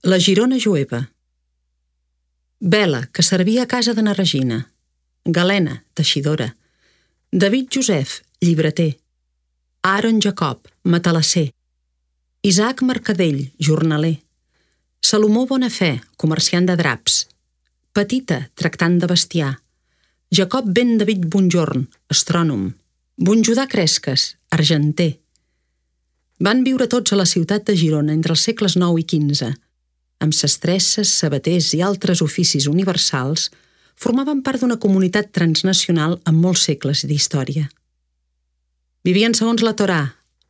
La Girona jueva. Bela, que servia a casa de na Regina. Galena, teixidora. David Josef, llibreter. Aaron Jacob, matalasser. Isaac Mercadell, jornaler. Salomó Bonafé, comerciant de draps. Petita, tractant de bestiar. Jacob ben David Bonjorn, astrònom. Bonjudà Cresques, argenter. Van viure tots a la ciutat de Girona entre els segles IX i XV. Amb sastresses, sabaters i altres oficis universals, formaven part d'una comunitat transnacional amb molts segles d'història. Vivien segons la Torà,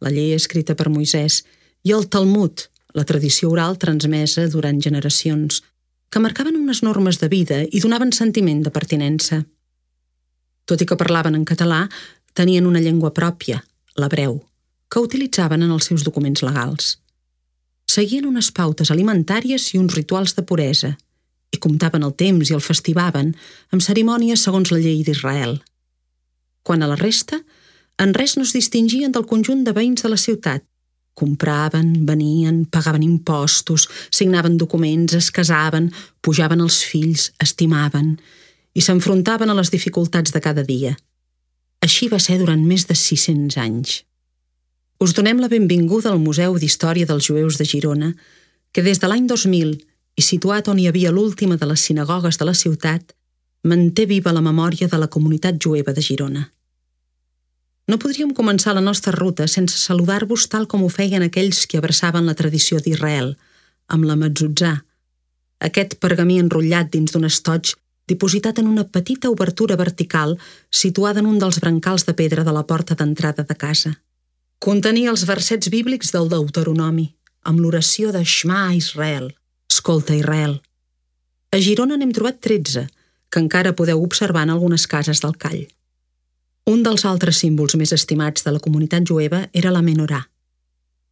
la llei escrita per Moisès, i el Talmud, la tradició oral transmesa durant generacions, que marcaven unes normes de vida i donaven sentiment de pertinença. Tot i que parlaven en català, tenien una llengua pròpia, l'hebreu, que utilitzaven en els seus documents legals. Seguien unes pautes alimentàries i uns rituals de puresa, i comptaven el temps i el festivaven amb cerimònies segons la llei d'Israel. Quant a la resta, en res no es distingien del conjunt de veïns de la ciutat. Compraven, venien, pagaven impostos, signaven documents, es casaven, pujaven els fills, estimaven i s'enfrontaven a les dificultats de cada dia. Així va ser durant més de 600 anys. Us donem la benvinguda al Museu d'Història dels Jueus de Girona, que des de l'any 2000, i situat on hi havia l'última de les sinagogues de la ciutat, manté viva la memòria de la comunitat jueva de Girona. No podríem començar la nostra ruta sense saludar-vos tal com ho feien aquells que abraçaven la tradició d'Israel, amb la mezuzà, aquest pergamí enrotllat dins d'un estoig dipositat en una petita obertura vertical situada en un dels brancals de pedra de la porta d'entrada de casa. Contenia els versets bíblics del Deuteronomi, amb l'oració de Shema Israel, escolta Israel. A Girona n'hem trobat 13, que encara podeu observar en algunes cases del call. Un dels altres símbols més estimats de la comunitat jueva era la menorà,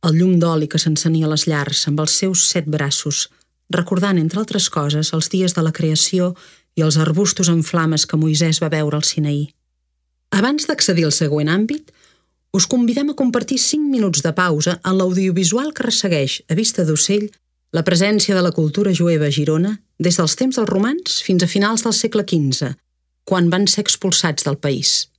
el llum d'oli que s'encenia a les llars amb els seus 7 braços, recordant, entre altres coses, els dies de la creació i els arbustos en flames que Moisès va veure al Sinaí. Abans d'accedir al següent àmbit, us convidem a compartir 5 minuts de pausa en l'audiovisual que ressegueix, a vista d'ocell, la presència de la cultura jueva a Girona des dels temps dels romans fins a finals del segle XV, quan van ser expulsats del país.